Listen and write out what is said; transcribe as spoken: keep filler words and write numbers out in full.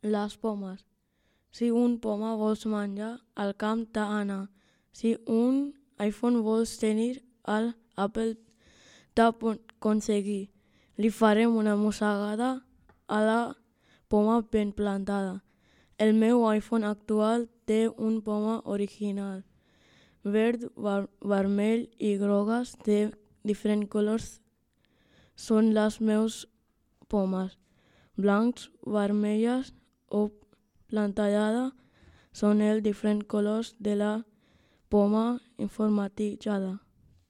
Les pomes. Si un poma vols menjar, al camp t'ha d'anar. Si un iPhone vols tenir, al Apple t'ha d'aconseguir. Li farem una mossegada a la poma ben plantada. El meu iPhone actual té un poma original. Verd, ver vermell i grogues de diferents colors són les meus pomes. Blancs, vermelles o plantallada són els diferents colors de la poma informatitzada.